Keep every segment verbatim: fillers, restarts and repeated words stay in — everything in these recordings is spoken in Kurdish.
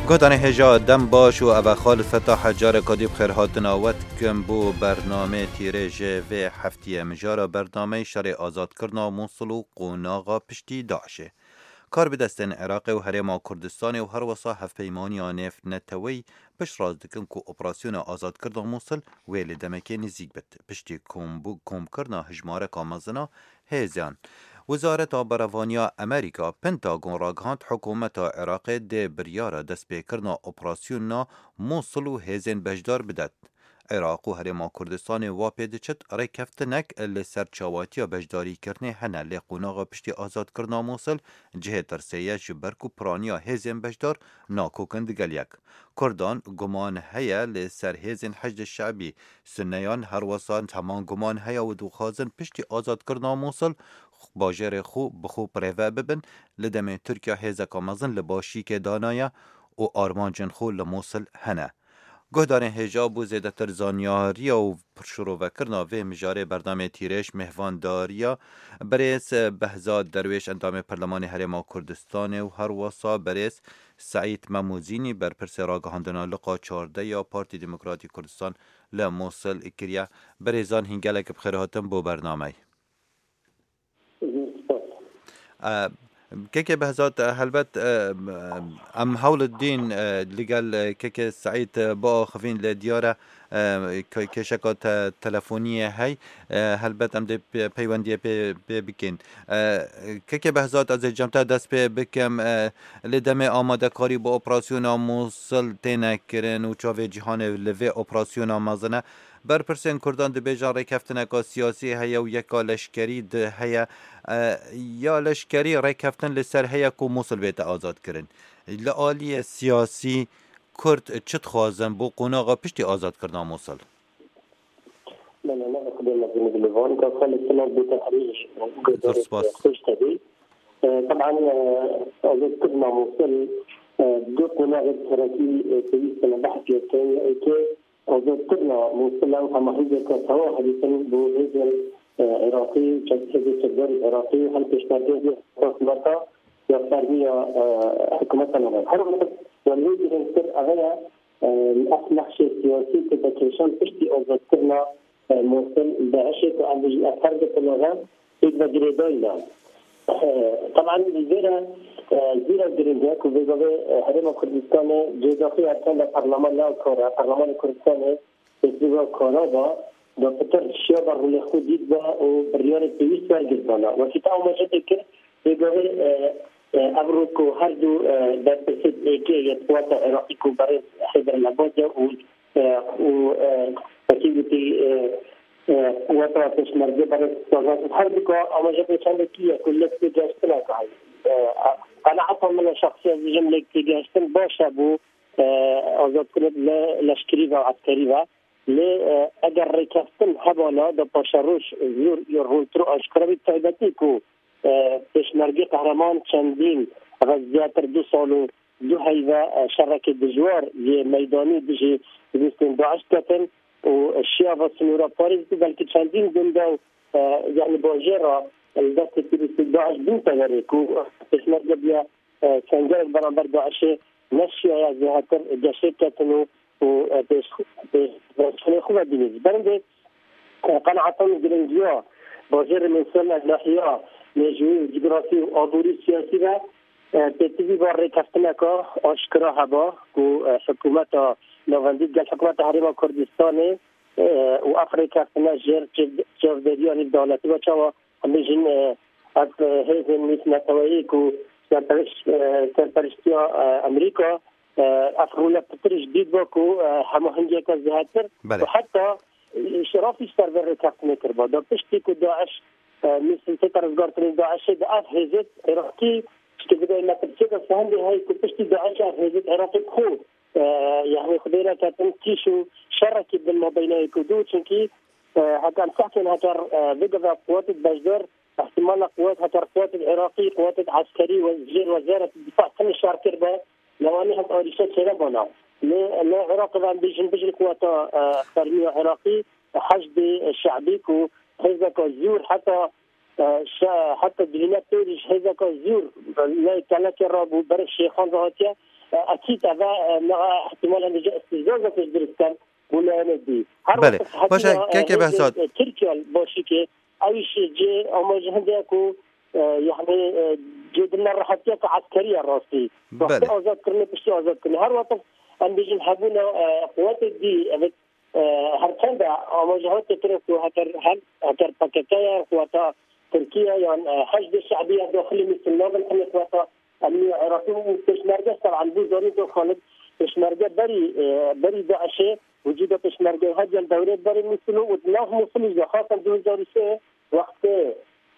Guhdarên hêja dem baş û ev e Xalid Fetah, careka dî bi xêrhatina we dikim bo bernameyê tîrê ji vê heftiyê. Mijara bernameyê şerê azadkirina Mûsil û qonaxa piştî DAIŞê. Karbidestên Iraqê û Herêma Kurdistanê û herwesa hevpeymaniya nêvneteweyî piştrast dikin ku operasyona azadkirina Mûsil wê li demekê nêzîk bit, piştî kombû-, komkirina hijmareka mezin a hêzan. Wezareta Berevaniya Amerîka, Pentagon, ragihand, hikûmeta Iraqê dê biryara destpêkirina operasyona Mûsil û hêzên beşdar bidet. Iraq û Herêma Kurdistanê wa pê diçit, rêkeftinek li ser çawatiya beşdarîkirinê hene, lê qonaxa piştî azadkirina Mûsil cihê tirsê ye, ji ber ku piraniya hêzên beşdar nakokin digel yek. Kurdan guman heye li ser hêzên Heşdê Şeibî. Sunneyan herwesa heman guman heye û dixwazin piştî azadkirina Mûsil bajêrê xwe bi xwe birêve bibin. Li demê Tirkiye hêzeka mezin li başîkê danaye û armancên xwe li Mûsil hene. Guhdarên hêja, bo zêdetir zanyariya û şirovekirina vê mijarê bernameyê tîrêj mêhvandariya birêz Behzad Derwêş, endamê Perlemanê Herêma Kurdistanê û herwesa birêz Seîd Memûzînî, berpirsê ragihandina liqa çardeh ya Partî Demokratîk Kurdistan li Mûsil kiriye. Birêzan, hîn gelek bi xêr hatin bo bernameyê. Zor spas. E, Kekê Behzad, e, helbet, e, em hewl dîn, e, li gel, e, Kekê Seîd, e, biaxivîn, lê diyar e, e, ke-, kêşeka te-, telefoniyê hey, e, helbet em dê pe-, peywendiyê pê, pê bikin. E, Kekê Behzad, ez ê cem te dest pê bikim, e, lê demê amadekarî bi operasyona Mûsil têne kirin û çavê cîhanê li vê operasyona mezin e. Berpirsên Kurdan dibêjin rêkeftineka siyasî heye û yeka leşkerî di heye. E, ya leşkerî rêkeftin li ser heye ku Mûsil bête azadkirin. Li aliyê siyasî Kurd çi dixwazin bo qonaxa piştî azadkirina Mûsil? Bele, ne xwedê mezin bi van ka xelê silav bête herî Zor spas. Xweş tevî. E, teban, e, azadkirina Mûsil, e, du qonaxê serekî, e, pêwîst in behs pê bikin. Yekê azadkirina Mûsil e û hemahengiyeke tewa herî din bo hêzên, e, Iraqî, çek-, hêzên çekdarên Iraqî, hem pêşmergeyên hikûmeta ya fermî ya, e, hikûmeta navend. Her wisa wan wê girîngtir ev e, e, ev nexşê siyasî ku vekêşan piştî azadkirina, e, Mûsil, DAIŞê ku em bijîn ev her du qulaxan pêk ve girêdayî ne. E, teban li vê re, e, zîra girîng e ku vê gavê, e, Herêma Kurdistanê cêdaxî erken de parlaman ne kar e. Parlamanê Kurdistanê Pêşî ve karaba da pitir şiya ve rolê xwe dît ve û biryarê pêwîst wergirt dana. Wekî te amaje tê kir, vê gavê, e, e, ev rû ku her du, e, berpirsê êkê yê quwata Iraqî ku berê Heyder Lebad e û, e, û, e, wekî gotî, e, e, quwata Pêşmerge berê Sazan, her du ka amaje pê çendekî ye ku lêk têgehiştineke heye. E, qenaeta min e şexsî, ez dijim lêk têgehiştin baş e bo, e, azadkirin li leşkerî ve, eskerî ve. Lê, e, eger rêkeftin hebana da paşeroş zor ya rontir û aşkera bî, taybetî ku, e, pêşmergê qehreman çendîn, ev zêdetir du sal û du heyve, e, şerekê dijwar yê meydanî dijî terorîstên DAIŞ ketin û şiya ve sinûra Parîs bû, belkî çendîn gunda û, e, yanî bajêra li destê terorîstên DAIŞ bûn teverê ku pêşmerge bûye, e, sengerek beramber DAIŞê, neşiyaye zêdetir geşê ketin û û, e, pêş, pêş, pêşxanê xwe vedînî. Ji ber vê, e, qenaeta min giringiya bajêrê Mûsil, nahiya mêjûyî û cografî û aborî siyasî ve, e, pêtivî va rêkeftineka aşkera heba ku, e, hikûmeta navendî digel hikûmeta Herêma Kurdistanê, e, û ev rêkeftine jêr çav-, çavdêriya nêvdewletî ve çawa em bêjin, e, ev, e, hêzên nêvneteweyî ku serperiş-, e, serperiştiya, e, Amerîka, e, ev role pitir ji dît ve ku, e, hemahengiyeke zêdetir Belê. û heta, e, îştirafî ji ser vê rêkeftinê kiriba. Da piştî ku DAIŞ, e, Mûsil tête rizgarkirinê DAIŞê, di ev hêzêt Iraqî, ji bidayê metirsiyeke sehendê heye ku piştî DAIŞ ev hêzêt Iraqî bi xwe, e, yanî xwedê neketin kîş û şerekî bin mabeyna yek û du, çunkî, e, heke em sehkên heker, e, vê gava quwetê beşdar, ihtimala quwet heker quwetê Iraqî, quwetê eskerî û jêr wezareta difa tenê şer kiribe, lewanî hek arîşe çêrebana. Lê li Iraqê ve em bêjin bijî quweta, e, fermî ya Iraqî, Heşdê Şeibî ku hêzeka zor heta, e, şe-, heta dibîne pêrî ji hêzeka zor lê kelekê rabû, ber Şêxan ve hatiye. E, Ekîd eve, e, niha ihtimal hene ji îstîzazek jî dirist ken bû layenê dî. Her Belê. Wext Baş e, hetiye, e, keke hêzên, Behzad. E, Tirkiye li Başîkê, ew jî cê amaje hindê ye ku, e, yani, e, cê di nerehetiya ku eskerî ye rastî. Wextê Belê. Azadkirinê, piştî azadkirinê. Her wext em bêjin hebûna, e, quwetê dî, ev e, her çend e, amaje hatiye kirin ku heker hem, heker P K K ye, quweta Tirkiye yan, e, Heşdê Şe'bî ya daxilî Mûsil nabin, hemî quweta emnî Iraqî û pêşmerge ser an bû zanîn ku Xalid pêşmerge berî, e, berî DAIŞê, wicûda pêşmerge hetiye li dewrê berê Mûsil û di nav Mûsilî jî de, xasan du hezar û sê wextê,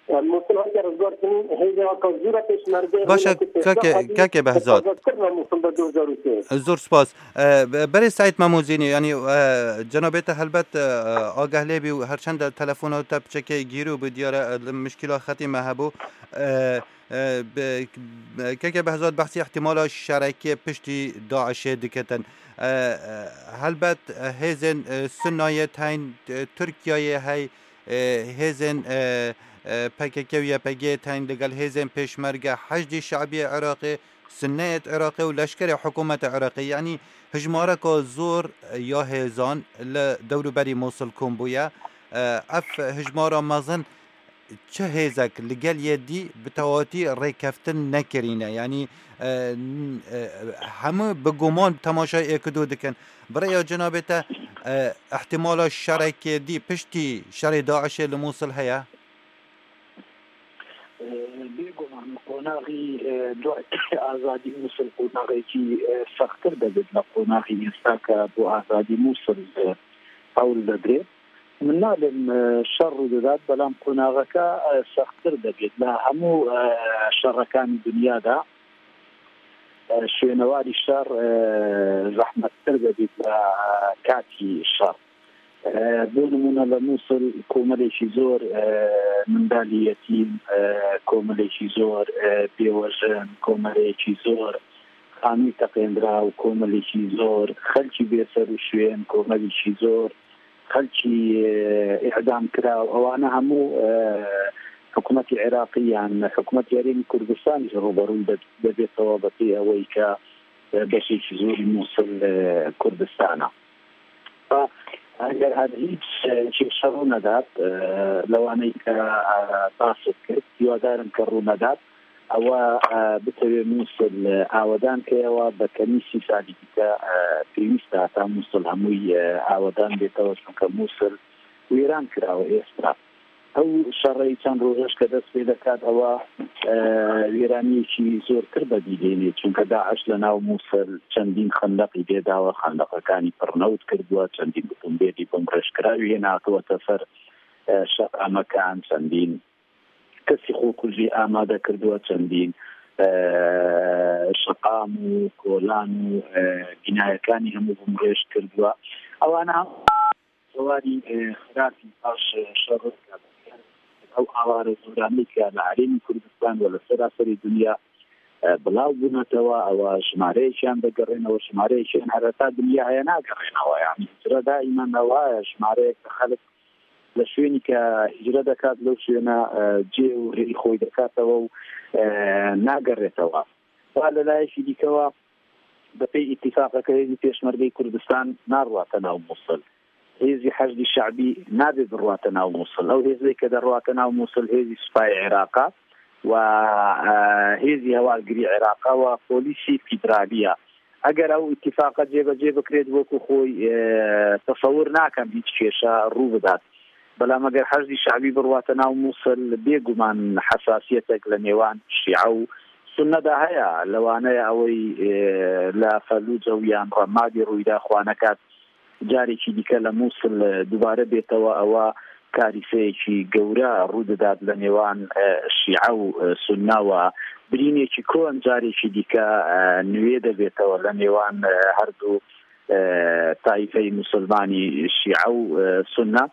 e, Mûsil hatiye rizgarkirin, hêzên Aka Zûra pêşmerge Baş e, hêzên ku kake, pêşmerge kake Behzad. Azadkirina Mûsil de du hezar û sê. Zor spas. E, be-, berê Seîd Memûzînî, yanî, e, cenabê te helbet, e, agah lê bî û her çend telefona te piçekê gîrû bû, diyar e, li mişkîla xetî me hebû. E, e, be-, keke Behzad behsî ihtimala şerekê piştî DAIŞê diketin. E, e, helbet, e, hêzên, e, Sunnayê teyn, e, Tirkiyeyê hey, e, hêzên, e, e, P K K û Y P G teyn digel hêzên pêşmerge Heşdî Şe'biyê Iraqê, Sunneyê Iraqê û leşkerê hikûmetê Iraqê, yanî hijmareka zor ya hêzan li dewrûberî Mûsil kom bûye. E, ev hijmara mezin çi hêzek li gel yê dî bi tewatî rêkeftin nekirîne? Yanî, e, n-, e, hemû bi guman temaşayê êk û du dikin. Bi rêya cenabê te, e, ihtimala şerekê dî piştî şerê DAIŞê li Mûsil heye? Bêguman qonaxî, e, do-, azadî Mûsil qonaxekî, e, sextir debêt li qonaxî êsta ke bo azadî Mûsil, e, hewl didrê. Min nalêm, e, şer rû didat, belam qonaxeke, e, sextir debêt. Li hemû, e, şerekanî dinya de, e, şwênewarî şer, e, zehmettir debêt li, e, katî şer. E, bo nimûne li Mûsil komelekî zor, e, mendalî yetîm, e, komelekî zor, e, bêwejin, komelekî zor, xanûy teqêndiraw, komelekî zor, xelkî bêser û şwên, komelekî zor, xelkî, e, îdam kiraw. Ewana hemû, e, hikûmetî Iraqî yan hikûmetî Herêmî Kurdistanî jî rûberû de-, debêtewabetê ewey ke e, beşekî zor Mûsil, e, Kurdistan e. Fa, eger her hîç, e, kêşe rû nedat, e, lewaneyî ke, e, basit kir, hîwadarim ke rû nedat, ewa, e, bitewê Mûsil, e, awedan ke ewa be kemî sî salî dîte, e, pêwîst e heta Mûsil hemûyî, e, awedan bêtewe, çunke Mûsil wêran kirawe êsta. Ew şereyî çend rojej ke dest pê dekat, ewa, e, wêraniyekî zortir be dî dênê. Çunke DAIŞ li nav Mûsil çendîn xendeqî lê dawe, xendeqekanî pirnewt kirduwe, çendîn otombêlî bimrêjkirawî hê nehatiwete ser, e, şeqamekan, çendîn kesî xwekujî amade kirduwe, çendîn, e, şeqam û kolan û, e, bînayekanî hemû bimrêj kirduwe. Ewana Warî, e, xirabî paş, e, şer rizgar dikin. Ew aware zoranî ke li herêmî Kurdistan we li seraserî dinya, e, bilav bûnetewe, ewa jimareyekî yan digerênewe, jimareyekî yan hereta dinya heye nagerênewe. Yanî hicre daîmen ewa ye, jimareyek xelk li şwênî ke hicre dekat, lew şwêne, e, cê û rêyî xwey dikatewe û, e, nagerêtewe. Wa li layekî dîkewa, bi pey îtîfaqeke hêzî pêşmergeyî Kurdistan narwate nav Mûsil. Hêzî Heşdî Şe'bî nabê birwate nav Mûsil. Ew hêzê ke derwate nav Mûsil hêzî Supayê Iraq e we, e, hêzî hevalgirî Iraq e we polîsî fîderalî ye. Eger ew îtîfaqa cêbecê bikirêt, wekî xwe, e, tesewir nakim hîç kêşe rû bidat. Belam eger Heşdî Şe'bî birwate nav Mûsil, bêguman hesasiyetek li nêwan Şîe û Sunne de heye. Lewaneye ewey, e, li Felûce û yan Remadî rûyda xwe nekat. Carekî dîke li Mûsil, e, dubare bêtewe, ewa karîseyekî gewre rû didat li nêwan, e, Şîe û, e, Sunne we. Birînekî kon carekî dîke, e, nûyê de bêtewe li nêwan, e, her du, e, taîfeyî misilmanî Şîe û, e, Sunne.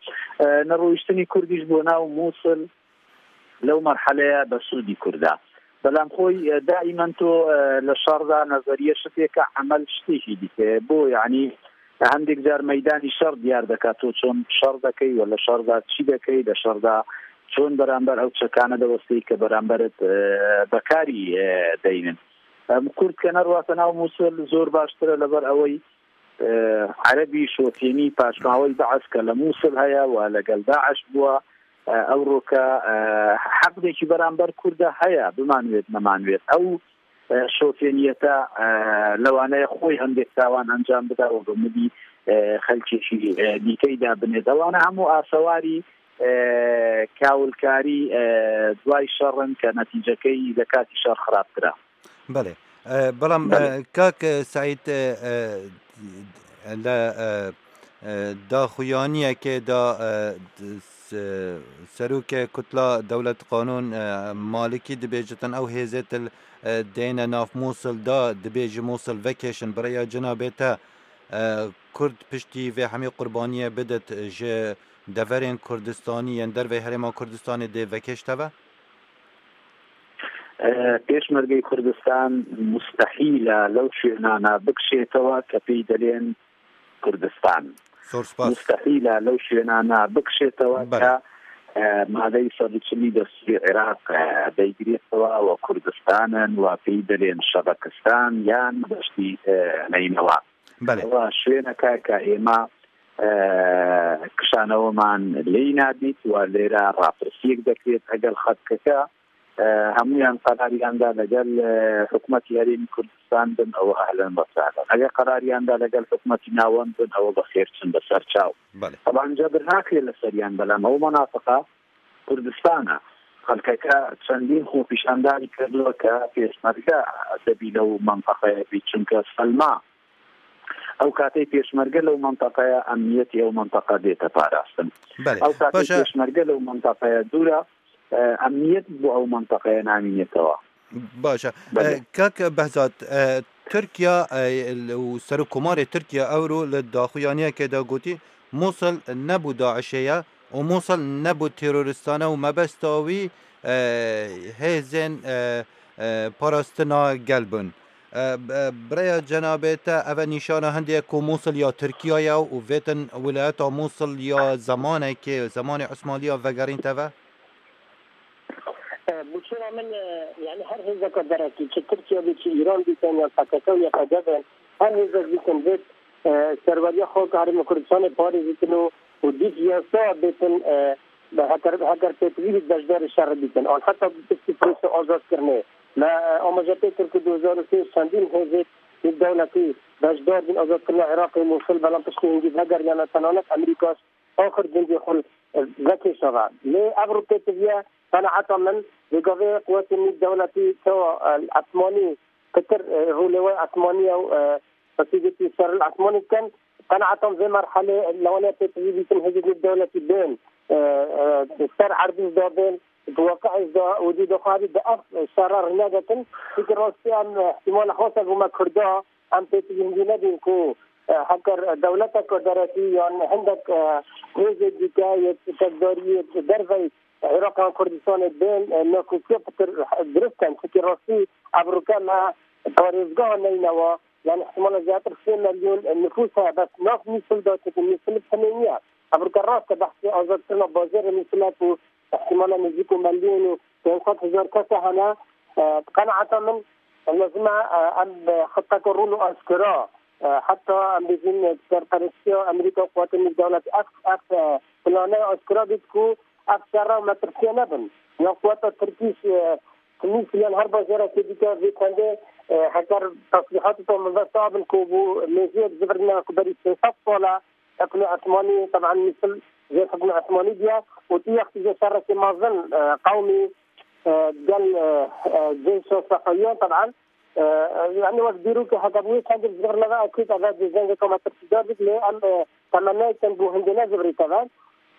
E, nerûiştinî Kurdî ji bo nav Mûsil lew merheleya besûdî Kurda. Belam xwe, e, daîmen to, e, li şer de nezeriye şitêke, emel şitêkî dike. Bo, yanî, hindek car meydanî şer diyar deke to çon şer dekey, we li şer de çi dekey, li şer de çon beramber ew çekane de westeyî ke beramberit, e, bekarî, e, deynin. Em Kurd ke nerwate nav Mûsil zor baştir e, leber ewey, e, Erebî şotênî paşmawey Be'es ke le Mûsil heye we legel Daeş bûwe, e, ewro ke, e, heqdekî beramber Kurda heye, bimanwêt nemanwêt. Ew, e, şotêniyete, e, lewaneye xwey hindek tawan encam bide û bi milî, e, xelkê jî, e, dîkey de binê. Dewana hemû asewarî, e, kawilkarî, e, duay şer in ke netîcekey le katî şer xirabtir e. Belê. E, belam, Belê. e, kak, e, Seîd, e, e, le, e, e, daxuyaniyekê da, e, s-, serokê Kutla Dewlet Qanûn, e, Malikî dibêjitin ew hêzê til, e, deyne nav Mûsil da, dibêji Mûsil vekêşin, bi rêya cenabê te, e, Kurd piştî vê hemî qurbaniyê bidit ji deverên Kurdistanî yên dervey herêma Kurdistanê dê vekêşte ve? E, Pêşmergey Kurdistan mustehîl e lew şwênana bikişêtewe ke pêy delên Kurdistan. Zor spas. Mustehîl e lew şwênana bikişêtewe Belê. ke, e, madeyî sed û çilî destûrê Iraq, e, beygirêtewe we Kurdistan in, we pêy delên Şebekistan yan deştî, e, Neynewa. Belê. Ewa şwêneke ke êma, e, kişaneweman lêy nabît, wa lêre rapirsiyek dekrêt egel xelkeke, e, hemûyan qerariyan da legel, e, hikûmetî Herêmî Kurdistan bin, ew ehlen ve sehlen. Eger qerariyan da legel hikûmetî navend bin, ew bi xêr çin bi ser çaw. Belê. Teban cebir nakrê li seriyan, belam ew menafiqa Kurdistan e. Xelkeke çendîn xwepîşandarî kirdiwe ke pêşmerge debî lew menteqeyê bî, çunke selma Ew katê pêşmerge lew menteqeya emniyetê ew menteqe dête parastin. Belê. Ew katê Baş e. pêşmerge lew menteqeya dûr e, e, emniyet bo ew menteqeya namînêtewa. Baş e. Belê. E, Kak Behzat, e, Tirkiye, e, û Serokkomarê Tirkiye ewro li daxuyaniyekê de gotî, Mûsil ne bo DAIŞê ye û Mûsil ne bo teroristane û mebesta wî, e, hêzên, e, e, parastina gel bûn. E, b-, e, bi rêya cenabê te, ev e nîşana hindê ye ku Mûsil ya Tirkiye ye û vêtin wilayeta Mûsil ya zemanekê, zemanê Osmaniya vegerîn teve? E, bi çira min, e, yani her hêzeke derekî, çi Tirkiye bê, çi Îran bîtin, ya P K K û ya P D F in, her hêzek bîtin vêt, e, serweriya xwe ke Herêma Kurdistanê parêzitin û, û dît yasa bêtin, e, bi heker, heker pêtivî bît beşdarê şerê bîtin. An heta bi piştî proseya azadkirinê. Me, e, amaje pê kir ku du hezar û sê çendîn hêzê nêvdewletî beşdar bîn azadkirina Iraqê û Mûsil, belam piştî hingî vegeriyane, tenanî Amerîka axir gundê xwe vekêşa ve. Lê ev rû pêtiviye, qenaeta min, vê gavê quwetên nêvdewletî çawa, e, esmanî pitir, e, rûlêway esmanî ye û, e, qesîdekî ser li esmanî dikin. Qenaeta min vê merhelê lewanê pêtivî bîtin hêzên nêvdewletî bên, e, e, ser erdî jî da bên, di waqi'ê jî da û dî doxarî bi ev şera rînegirtin. Çunke rastî em, e, ihtimala xwe ser bo me Kurda, em pêtivî hindî nebîn ku, e, heker dewleteke derekî yan hindek, e, hêzê dîke yê çekdariyê dervey Iraq an Kurdistanê bên, e, nakokî pitir dirust in. Çunke rastî ev rûke me parêzgeha Neynewa, yani ihtimala zêdetir sê milyon nifûs heye, bes nav Mûsil de, çunke Mûsil bi tenê niye. Ev rûke rast e, behsê azadkirina bajarê Mûsil e ku ihtimala nêzîk û milyon û pênc sed hezar kes hene. E, bi qenaeta min, lazim e, e, em bi xiteke rûn û aşkera, e, heta em bêjin, e, serperestiya Amerîka û quwetên nêvdewletî ev, ev, e, plane aşkera bît ku ev şerra û metirsiya nebin. Ya quweta Tirkî, e, Tunîs yan her bajarekê dîke vê çendê, e, heker teslîhatê xwe mebesta bin ku bo mêziyek zivirîne ku berî sê sed sal e, hikmê Osmanî, teban Mûsil jê hikmê Osmanî diye û tu wextî jê şerekê mezin, e, qewmî, e, gel, e, e, ceyşa Sefawiyan, teban, e, e, yani wek dîrokê heke bi wê çendê zivir neve, ekîd eve dê zengeke metirsîdar bit, lê em, e, temennayê kin bo hindê ne zivirî teve.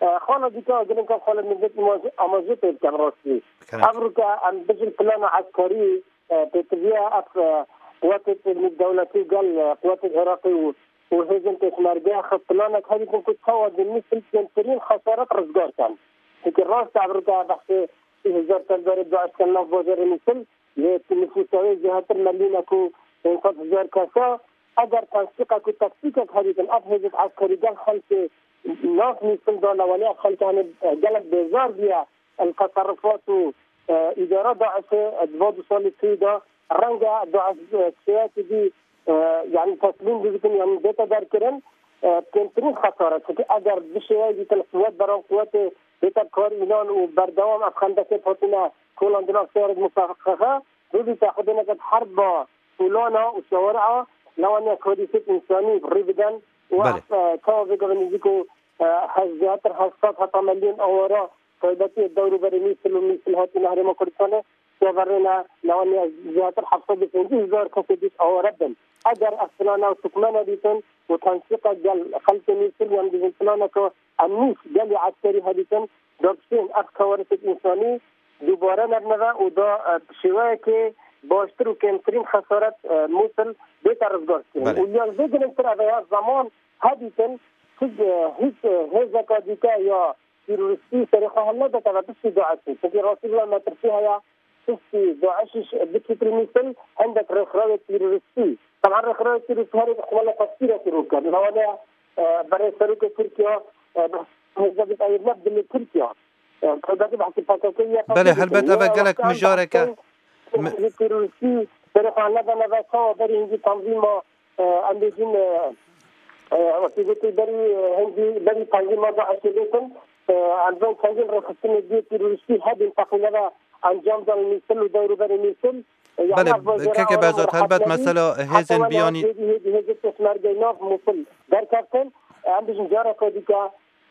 E, xala dîka girînka xala millet amaje, amaje pê bikin rastî. Kerem. Ev rûke em bijin plana eskerî, e, pêtiviye ev, e, quwetê nêvdewletî gel, e, quwetê Iraqî û û hêzên pêşmerge xwe planek herî ku çawa di nî silkên tirîn xesaret rizgar ken. Çunke rast e, ev rûke behsê sî hezar tevgerê DAIŞ ken nav bajarê Mûsil, lê nifûsa wê zêdetir milyonek û pênc sed hezar kes e. Eger tensiqek û taktîkek herî kin, ev hêzên eskerî gel xelkê nav Mûsil de lewaniya xelkê hene gelek bêzar bûye. El teserrufat û, e, îdara DAIŞê, e, di va du salê tê de, renge daişiyetî dî, e, yanî teslîm dikin, yanî bête derkirin, e, kêmtirîn xesaret. Çunki eger bi şêweyê dîtin quwet beran quwetê bête kar înan û berdewam ev xendekê hatine kolandina şehir mufaqiqe, bibîte xwe dêneket herba Polana û Şawara, lewanê kodîsêt însanî rî bidin û Belê. ev, e, çawa vê gavê nêzîk û, e, hez-, zêdetir heft sed heta milyon awara taybetî dewr û berê Mîsil û Mîsil hatî Herêma Kurdistanê, teverêne lewanê zêdetir heft sed û pêncî hezar kesê dît awara bin. Eger ev plana û tukmene dîtin û tensîqa gel xelkê Mîsil yan dîtin planeke emnî gelî eskerî hedîtin, dapişên ev kawarisêt însanî dubare nebneve û da, e, bi şêweyekê baştir û kêmtirîn xesaret, e, Mûsil bête rizgarkirin. Belê. Û ya vê girîngtir ev e ya zeman hedîtin, hiç, e, hiç, e, hêzeka dîke ya terorîstî serê xwe helnedeteve piştî DAIŞ'ê. Çunkî rastî bila metirsî heye piştî DAIŞ'î bikîtir Mûsil hindek rêkxrawê terorîstî. Teban rêkxrawê terorîstî herê xwe li tefsîrekî rû kir. Li wana, e, berê serokê Tirkiye, e, Recep Tayyip Erdogan dilê Tirkiye. Belê, helbet ev e gelek mijareke. Terorîstî berê xwe neda neva çawa berî hingî tanzîma, e, em bêjin, e, e, wekî gotî berî, e, hingî berî tanzîma DAIŞ'ê bêtin, e, em bên çendîn rêxistinê dî terorîstî hebin teqîne ve encam dan Mîsil û dewrûberê Mîsil. E, Belê, keke Behzat, helbet mesela hêzên biyanî hêzê pêşmergeyê nav Mûsil derkeftin. Em bêjin careke dîke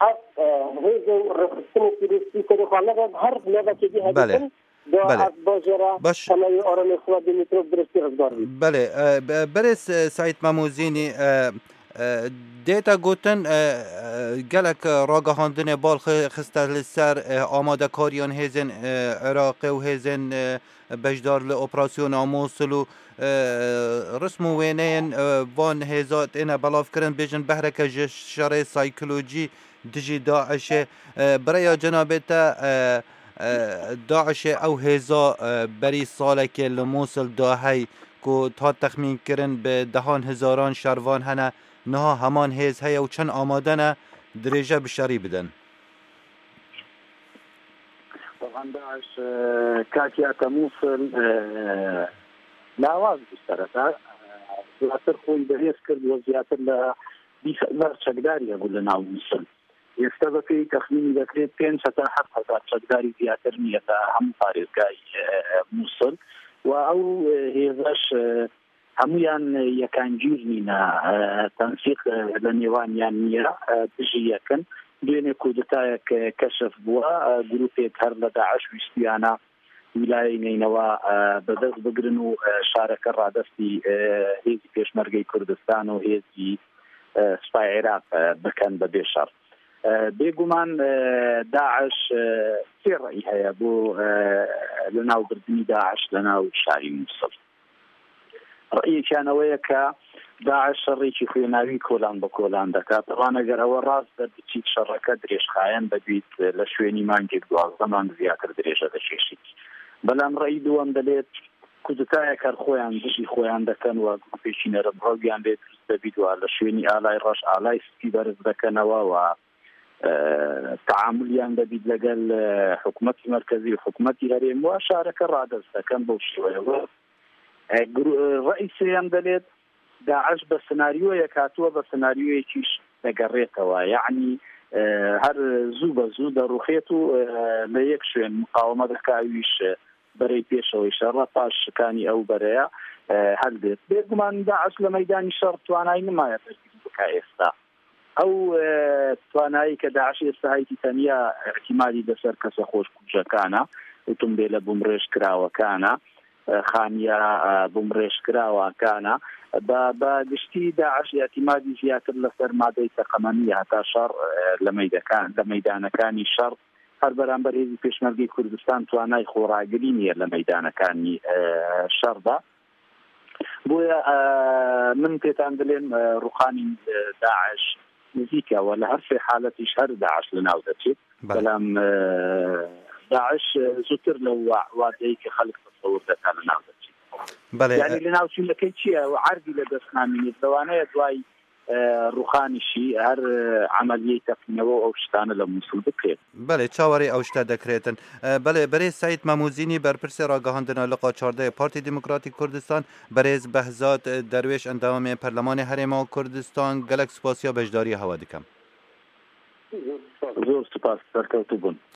Ev, e, hêzên rêxistinê terorîstî serê xwe nebe, her nevekê dî Belê. Heditin, da Belê. Ev bajêra Baş. Temeyê aramê xwe Dimitrov Brestî rizgar bî. Belê, e, be-, berêz, e, Seîd Memûzînî, e, e, dête gotin, e, e, gelek, e, ragihandinê bal xi-, xiste li ser, e, amadekariyan hêzên, e, Iraqê û hêzên, e, beşdar li operasyona Mûsil û, e, rism û wêneyên, e, van hêza têne belavkirin, bêjin behreke ji şerê saykolojî dijî DAIŞ'ê. E, bi rêya cenabê te, e, e, DAIŞ'ê ew hêza, e, berî salekê li Mûsil da hey ku hat texmînkirin bi dehan hezaran şervan hene, niha heman hêz heye û çend amade ne dirêje bi şerî bidin? Taban DAIŞ, e, katiya te Mûsil, e, lawaz bû sereta. E, zêdetir xwe berêz kir, we zêdetir li bîst hezar çekdarî hebû li nav Mûsil. ئێستا بە پێی تەخمینی دەکرێت پێنج هەزار هەفت هەزار چەکداری زیاتر نییە لە هەموو پارێزگای، ئە، موسڵ. و ئەو، ئە، هێزەش، ئە، هەمویان یەکانگیر نینە، ئە، تەنسیق، ئە، لە نێوانیان نییە، ئە، دژی یەکن. دوێنێ کودتایەک، ئە، کەشف بووە، ئە، گروپێک هەر لە داعش ویستیانە ویلایەی نینەوە، ئە، بەدەست بگرن و، ئە، شارەکە ڕادەستی، ئە، هێزی پێشمەرگەی کوردستان و هێزی، ئە، سوپای عێراق، ئە، بکەن بە بێ شەڕ. ئە، بێگومان، ئە، داعش، ئە، سێ ڕێی هەیە بۆ، ئە، لە ناو بردننی داعش لە ناو شاری موسڵ. ڕێیەکیان ئەوەیە کە داعش شەڕێکی خوێناوی کۆلان بە کۆلان دەکات. ئەوان ئەگەر ئەوە ڕاست بە بچیت شەڕەکە درێژخایەن دەبیت، لە شوێنی مانگێک دوازدە مانگ زیاتر درێژە دەکێشیت. بەڵام ڕێی دووەم دەلێت کودتایەک هەر خۆیان دژی خۆیان دەکەن و گروپێکی نەرم ڕەویان لێ دروست دەبیت و لە شوێنی ئالای ڕەش ئالای سپی بەرز دەکەنەوە و، ئە، تەعاملیان دەبیت لەگەل، ئە، حکومەتی مەرکەزی و حکومەتی هەرێم و شارەکە ڕادەست دەکەن بەو شێوەیەوە. ئە، گرو-، ڕێی سێیەم دەلێت داعش بە سناریۆیەک هاتووە، بە سناریۆیەکیش دەگەڕێتەوە. یعنی، ئە، هەر زوو بە زوو دەڕوخێت و، ئە، لە یەک شوێن مقاومە دەکاویش، ئە، بەرەی پێشەوەی شەڕە، پاش شکانی ئەو بەرەیە، ئە، هەلدێت. بێگومان داعش لە مەیدانی شەڕ توانای نمایە دەرگیری بکا ئێستا. ئەو، ئە، توانایی کە داعش ئێستا هەیەی تەنیا ئیعتیمادی لەسەر کەسە خۆشکوژەکانە، ئۆتۆمبێلە بومڕێژ کراوەکانە، ئە، خانیە، ئە، بومڕێژ کراوەکانە. بە، بە گشتی داعش ئیعتیمادی زیاتر لەسەر مادەی تەقەمەنیە هەتا شەڕ، ئە، لە مەیدەکان-، لە مەیدانەکانی شەڕ هەر بەرامبەر هێزی پێشمەرگەی کوردستان توانای خۆڕاگری نییە لە مەیدانەکانی، ئە، شەڕدا. بۆیە، ئە، من پێتان دەلێم، ئە، ڕوخانی، ئە، داعش نزیکە و لە هەر سێ حالەتیش هەر داعش لە ناو دەچێت. بەڵێ. بەڵام، ئە، داعش، ئە، زووتر لەو وا-، وادەی کە خەڵک تەسەور دەکات لە ناو دەچێت. بەڵێ، یعنی ئە، لە ناو چوونەکەی چییە؟ و عەردی لە دەست نامینێت. لەوانەیە دوای e, rûxanî jî her, e, emeliyê teqînewe û ew şitane li Mûsil bikirê. Belê, çawarê ew şte dekirêtin. E, belê, berê Seîd Memûzînî, berpirsê ragihandina Liqa çardeh yê Partî Demokratîk Kurdistan, berêz Behzat, e, Derwêş, endamê Perlemanê Herêma Kurdistan, gelek spasiya beşdariya hewe dikim. Zor spas, serkewtû bûn.